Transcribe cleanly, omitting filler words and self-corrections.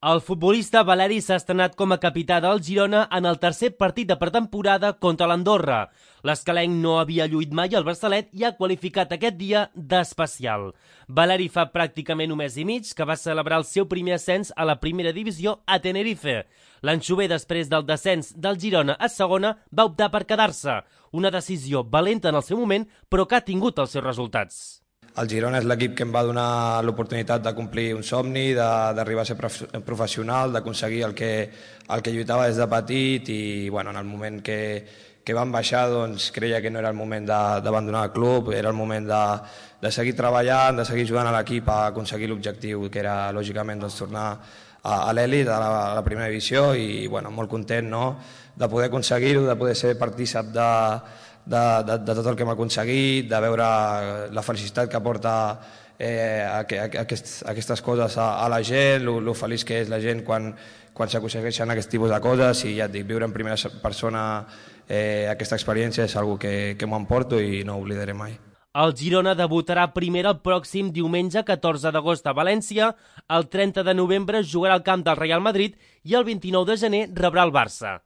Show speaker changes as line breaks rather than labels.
El futbolista Valeri s'ha estrenat com a capità del Girona en el tercer partit de pretemporada contra l'Andorra. L'escalenc no havia lluït mai al braçalet i ha qualificat aquest dia d'especial. Valeri fa pràcticament un mes i mig que va celebrar el seu primer ascens a la primera divisió a Tenerife. L'anxover, després del descens del Girona a segona, va optar per quedar-se. Una decisió valenta en el seu moment, però que ha tingut els seus resultats.
El Girona és l'equip que em va donar l'oportunitat de complir un somni, d'arribar a ser professional, d'aconseguir el que lluitava des de petit i en el moment que vam baixar creia que no era el moment d'abandonar el club, era el moment de seguir treballant, de seguir jugant a l'equip a aconseguir l'objectiu que era lògicament tornar a l'elit, a la primera divisió i molt content de poder aconseguir-ho, de poder ser partícip de tot el que hem aconseguit, de veure la felicitat que aporta aquestes coses a la gent, lo feliç que és la gent quan s'aconsegueixen aquest tipus de coses i ja et dic, viure en primera persona aquesta experiència és una que m'ho emporto i no ho oblidaré mai.
El Girona debutarà primer el pròxim diumenge 14 d'agost a València, el 30 de novembre jugarà al camp del Real Madrid i el 29 de gener rebrà el Barça.